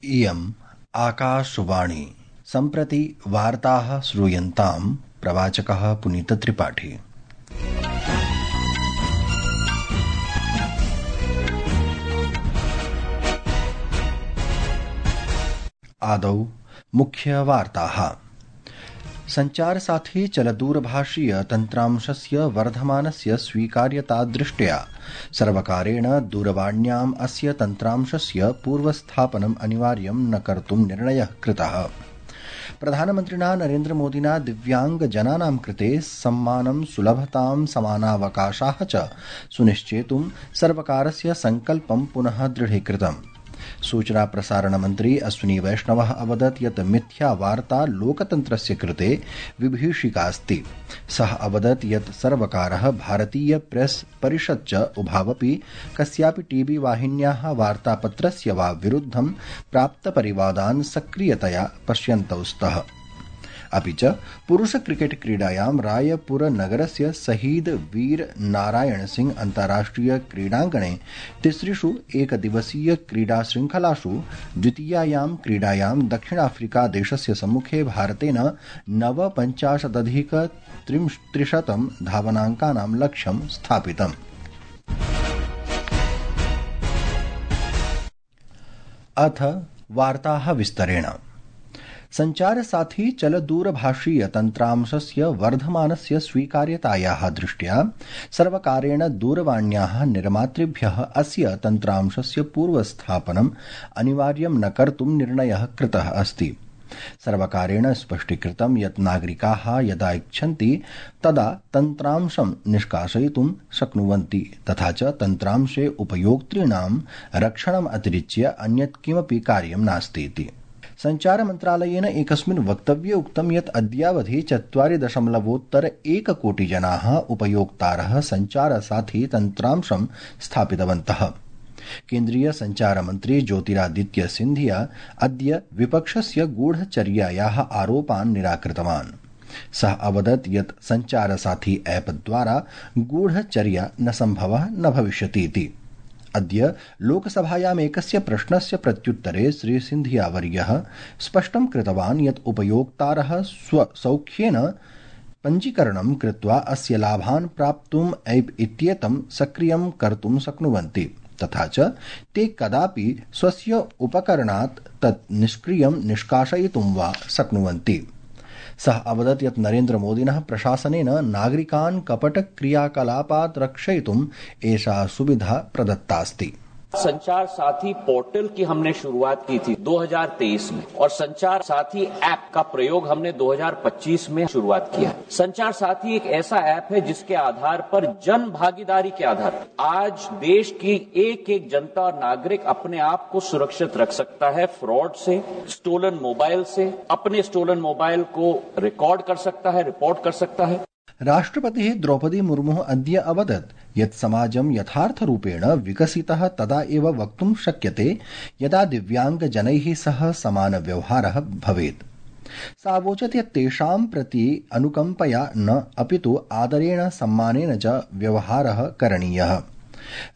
इयम् आकाशवाणी। सम्प्रति वार्ताः श्रूयन्ताम्। प्रवाचकः पुनीतत्रिपाठी। आदौ मुख्यवार्ताः। संचारसाथी चलदूरभाषीय तन्त्रांशस्य वर्धमानस्य स्वीकार्यता दृष्ट्या सर्वकारेण दूरवाण्याम् अस्य तन्त्रांशस्य पूर्वस्थापनम् अनिवार्यं न कर्तुं निर्णयः कृतः। प्रधानमन्त्रिणा नरेन्द्रमोदिना दिव्याङ्गजनानां कृते सम्मानं, सुलभतां, समानावकाशाः च सुनिश्चेतुं सर्वकारस्य सङ्कल्पं पुनः दृढीकृतम्। सूचना प्रसारण मन्त्री अश्विनी वैष्णवः अवदत् यत् मिथ्या वार्ता लोकतन्त्रस्य कृते विभीषिका अस्ति। सः अवदत् यत् सर्वकारः भारतीय प्रेस परिषत् च उभावपि कस्यापि टीवी वाहिन्याः वार्तापत्रस्य वा विरुद्धं प्राप्तपरिवादान् सक्रियतया पश्यन्तौ स्तः। अपि च पुरुष क्रिकेट क्रीडायां रायपुरनगरस्य शहीद वीर नारायण सिंह अन्ताराष्ट्रिय क्रीडाङ्गणे तिसृषु एकदिवसीय क्रीडाशृङ्खलासु द्वितीयायां क्रीडायां दक्षिणाफ्रिका देशस्य सम्मुखे भारतेन 59,अधिक-300 धावनाङ्कानां लक्ष्यं स्थापितम्। अथ वार्ताः विस्तरेण। संचारसाथी चलदूरभाषीय तन्त्रांशस्य वर्धमानस्य स्वीकार्यतायाः दृष्ट्या सर्वकारेण दूरवाण्याः निर्मातृभ्यः अस्य तन्त्रांशस्य पूर्वस्थापनम् अनिवार्यं न कर्तुं निर्णयः कृतः अस्ति। सर्वकारेण स्पष्टीकृतं यत् नागरिकाः यदा इच्छन्ति तदा तन्त्रांशं निष्कासयितुं शक्नुवन्ति, तथा च तन्त्रांशे उपयोक्तॄणां रक्षणम् अतिरिच्य अन्यत् किमपि कार्यं नास्ति इति। संचारमन्त्रालयेन एकस्मिन् वक्तव्ये उक्तं यत् अद्यावधि 4.1 कोटि जनाः उपयोक्तारः संचारसाथी तन्त्रांशं स्थापितवन्तः। केन्द्रीय संचारमन्त्री ज्योतिरादित्य सिन्धिया अद्य विपक्षस्य गूढचर्यायाः आरोपान् निराकृतवान्। सः अवदत् यत् संचारसाथी ऐप् द्वारा गूढचर्या न सम्भवः न भविष्यति इति। अद्य लोकसभायाम् एकस्य प्रश्नस्य प्रत्युत्तरे श्रीसिन्धियावर्यः स्पष्टं कृतवान् यत् उपयोक्तारः स्वसौख्येन पञ्जीकरणं कृत्वा अस्य लाभान् प्राप्तुम् ऐप् इत्येतं सक्रियं कर्तुं शक्नुवन्ति, तथा च ते कदापि स्वस्य उपकरणात् तत् निष्क्रियं निष्कासयितुं वा शक्नुवन्ति। सः अवदत् यत् नरेन्द्रमोदिनः प्रशासनेन नागरिकान् कपटक्रियाकलापात् रक्षयितुम् एषा सुविधा प्रदत्तास्ति। संचार साथी पोर्टल की हमने शुरुआत की थी 2023 में और संचार साथी ऐप का प्रयोग हमने 2025 में शुरुआत किया। संचार साथी एक ऐसा ऐप है जिसके आधार पर जन भागीदारी के आधार पर आज देश की एक एक जनता और नागरिक अपने आप को सुरक्षित रख सकता है फ्रॉड से, स्टोलन मोबाइल से, अपने स्टोलन मोबाइल को रिकॉर्ड कर सकता है, रिपोर्ट कर सकता है। राष्ट्रपतिः द्रौपदी मुर्मुः अद्य अवदत् यत् समाजं यथार्थरूपेण विकसितः तदा एव वक्तुं शक्यते यदा दिव्याङ्गजनैः सह समानव्यवहारः भवेत्। सा अवोचत् यत् तेषां प्रति अनुकम्पया न अपितु आदरेण सम्मानेन च व्यवहारः करणीयः।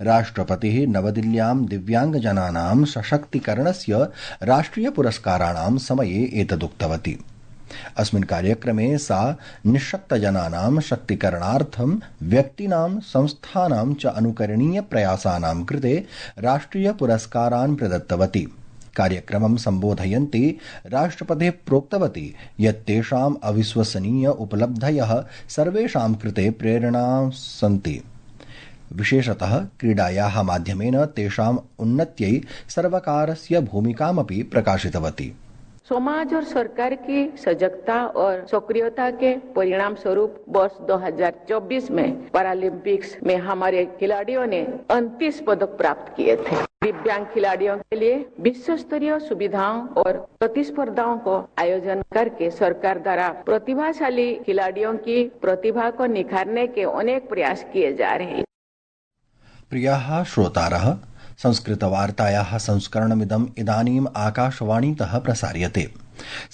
राष्ट्रपतिः नवदिल्ल्यां दिव्याङ्गजनानां सशक्तीकरणस्य राष्ट्रियपुरस्काराणां समये एतदुक्तवती। अस्मिन् कार्यक्रमे सा निःशक्तजनानां शक्तीकरणार्थं व्यक्तीनां, संस्थानां च अनुकरणीय प्रयासानां कृते राष्ट्रियपुरस्कारान् प्रदत्तवती। कार्यक्रमं सम्बोधयन्ती राष्ट्रपतिः प्रोक्तवती यत् तेषाम् अविश्वसनीय उपलब्धयः सर्वेषां कृते प्रेरणा सन्ति। विशेषतः क्रीडायाः माध्यमेन तेषाम् उन्नत्यै सर्वकारस्य भूमिकामपि प्रकाशितवती। समाज और सरकार की सजगता और सक्रियता के परिणाम स्वरूप वर्ष 2024 में पैरालंपिक्स में हमारे खिलाड़ियों ने 29 पदक प्राप्त किए थे। दिव्यांग खिलाड़ियों के लिए विश्व स्तरीय सुविधाओं और प्रतिस्पर्धाओं को आयोजन करके सरकार द्वारा प्रतिभाशाली खिलाड़ियों की प्रतिभा को निखारने के अनेक प्रयास किए जा रहे हैं। प्रियाः श्रोतारः, संस्कृतवार्तायाः संस्करणमिदम् इदानीम् आकाशवाणीतः प्रसार्यते।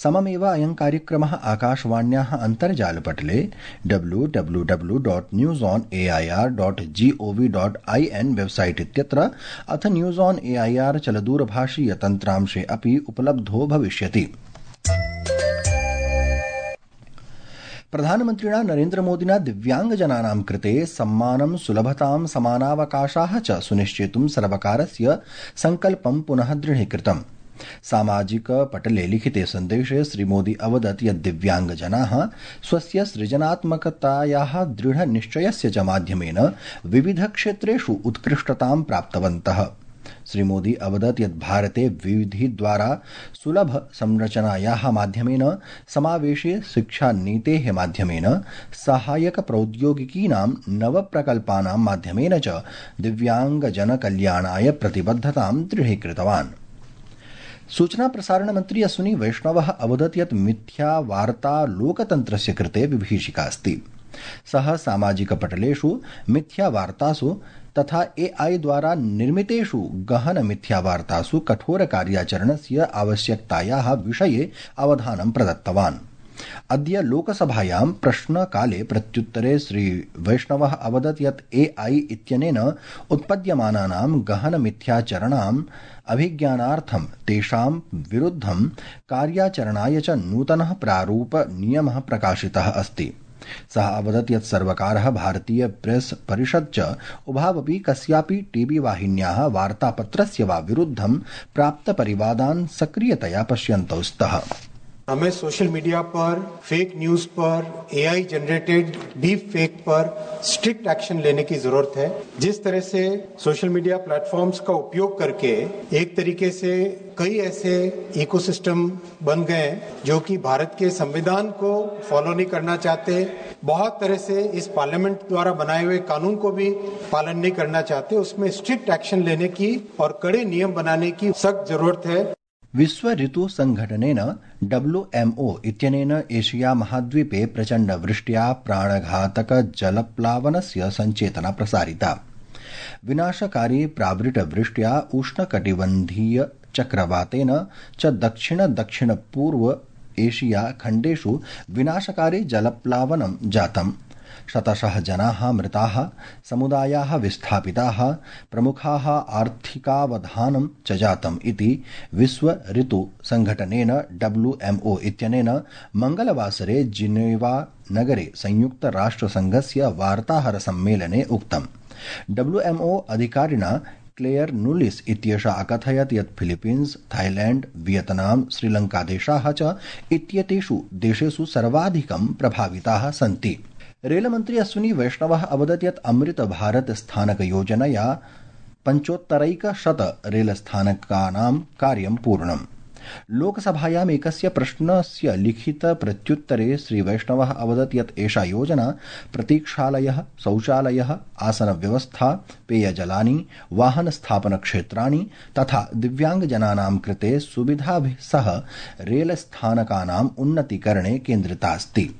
सममेव अयं कार्यक्रमः आकाशवाण्याः अन्तर्जालपटले www.newsonair.gov.in वेबसाइट इत्यत्र अथ न्यूज ऑन एआईआर चलदूरभाषीय तन्त्रांशे अपि उपलब्धो भविष्यति। प्रधानमन्त्रिणा नरेन्द्रमोदिना दिव्यांगजनानां कृते सम्मानं सुलभतां समानावकाशाः च सुनिश्चेतुं सर्वकारस्य सङ्कल्पं पुनः दृढीकृतम्। सामाजिक पटले लिखिते सन्देशे श्रीमोदी अवदत् यत् दिव्यांगजनाः स्वस्य सृजनात्मकतायाः दृढनिश्चयस्य च माध्यमेन विविधक्षेत्रेषु उत्कृष्टतां प्राप्तवन्तः। श्रीमोदी अवदत् यत् भारते विविधिद्वारा सुलभ संरचनायाः माध्यमेन समावेशे शिक्षानीतेः माध्यमेन सहायक प्रौद्योगिकीनां नवप्रकल्पानां माध्यमेन च दिव्यांगजनकल्याणाय प्रतिबद्धतां दृढीकृतवान्। सूचना प्रसारण मंत्री अश्विनी वैष्णवः अवदत् यत् मिथ्या वार्ता लोकतन्त्रस्य कृते विभीषिका अस्ति। सः सामाजिक पटलेषु मिथ्या वार्तासु तथा एआई द्वारा निर्मितेषु गहन मिथ्या वार्तासु कठोर कार्याचरणस्य आवश्यकतायाः विषये अवधानं प्रदत्तवान्। अद्य लोकसभायां प्रश्नकाले प्रत्युत्तरे श्री वैष्णवः अवदत् यत् एआई इत्यनेन उत्पद्यमानानां गहन मिथ्याचरणाम् अभिज्ञानार्थं तेषां विरुद्धं कार्याचरणाय च नूतनः प्रारूप नियमः प्रकाशितः अस्ति। सः अवदत् यत् सर्वकारः भारतीय प्रेस परिषद् च उभावपि कस्यापि टीवी वाहिन्याः वार्तापत्रस्य वा विरुद्धं प्राप्तपरिवादान् सक्रियतया पश्यन्तौ स्तः। हमें सोशल मीडिया पर, फेक न्यूज पर, एआई जनरेटेड डीप फेक पर स्ट्रिक्ट एक्शन लेने की जरूरत है। जिस तरह से सोशल मीडिया प्लेटफॉर्म्स का उपयोग करके एक तरीके से कई ऐसे इकोसिस्टम बन गए जो कि भारत के संविधान को फॉलो नहीं करना चाहते, बहुत तरह से इस पार्लियामेंट द्वारा बनाए हुए कानून को भी पालन नहीं करना चाहते, उसमें स्ट्रिक्ट एक्शन लेने की और कड़े नियम बनाने की सख्त जरूरत है। विश्व ऋतु संघटनेन WMO इत्यनेन एशिया महाद्वीपे प्रचण्ड वृष्ट्या प्राणघातक जलप्लावनस्य सञ्चेतना प्रसारिता। विनाशकारी प्रावृट वृष्ट्या उष्णकटिबन्धीय चक्रवातेन च दक्षिण पूर्व एशिया खण्डेषु विनाशकारी जलप्लावनं जातम्। शतशः जनाः मृताः, समुदायाः विस्थापिताः, प्रमुखाः आर्थिकावधानं च जातम् इति विश्व ऋतु संघटनेन WMO इत्यनेन मंगलवासरे जिनेवा नगरे संयुक्त राष्ट्रसंघस्य वार्ताहर सम्मेलने उक्तम्। WMO अधिकारिणा क्लेयर नूलिस इत्येषा अकथयत् यत् फिलीपीन्स, थाईलैंड, वियतनाम, श्रीलंकादेशाः च इत्येतेषु देशेषु सर्वाधिकं प्रभाविताः सन्ति। रेलमन्त्री अश्विनी वैष्णवः अवदत् यत् अमृत भारत स्थानक योजनया 75% रेलस्थानकानां कार्यं पूर्णम्। लोकसभायाम् एकस्य प्रश्नस्य लिखित प्रत्युत्तरे श्री वैष्णवः अवदत् यत् एषा योजना प्रतीक्षालयः, शौचालयः, आसनव्यवस्था, पेयजलानि, वाहनस्थापनक्षेत्राणि तथा दिव्यांगजनानां कृते सुविधाभिः सह रेलस्थानकानाम् उन्नतीकरणे केन्द्रिता अस्ति।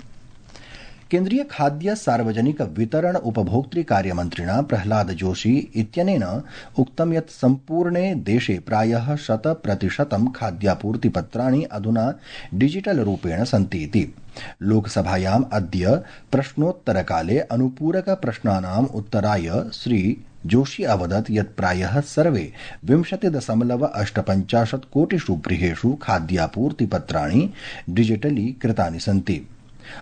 केन्द्रीय खाद्य सार्वजनिक वितरण उपभोक्तृ कार्यमन्त्रिणा प्रह्लाद जोशी इत्यनेन उक्तं यत् सम्पूर्णे देशे प्रायः 100% खाद्यापूर्तिपत्राणि अधुना डिजिटल रूपेण सन्ति इति। लोकसभायाम् अद्य प्रश्नोत्तरकाले अनुपूरक प्रश्नानाम् उत्तराय श्री जोशी अवदत् यत् प्रायः सर्वे 20.85 कोटिषु गृहेषु खाद्यापूर्तिपत्राणि डिजिटली कृतानि सन्ति।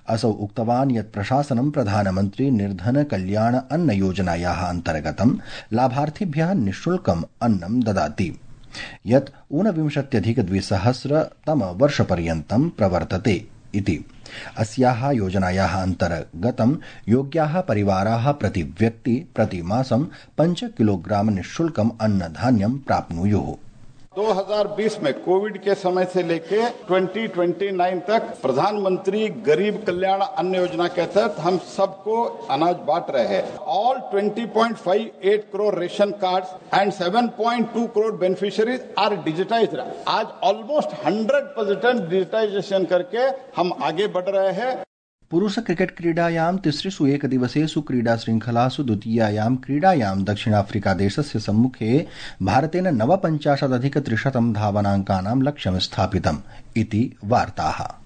असौ उक्तवान् यत् प्रशासनं प्रधानमन्त्री निर्धन कल्याण अन्न योजनायाः अन्तर्गतं लाभार्थिभ्यः निःशुल्कम् अन्नं ददाति, यत् 49,200 प्रवर्तते इति। अस्याः योजनायाः अन्तर्गतं योग्याः परिवाराः प्रति व्यक्ति प्रति मासं 5 किलोग्राम निःशुल्कम् अन्नधान्यं प्राप्नुयुः। 2020 में कोविड के समय से लेके 2029 तक प्रधानमंत्री गरीब कल्याण अन्न योजना के तहत हम सबको अनाज बांट रहे हैं। All 20.58 crore ration cards and 7.2 crore beneficiaries are digitised. आज ऑलमोस्ट 100% डिजिटाइजेशन करके हम आगे बढ़ रहे हैं। पुरुष क्रिकेट क्रीडायां तिसृषु एकदिवसेषु क्रीडाशृङ्खलासु द्वितीयायां क्रीडायां दक्षिणाफ्रीकादेशस्य सम्मुखे भारतेन 49,300 धावनाङ्कानां लक्ष्यं स्थापितम् इति वार्ताः।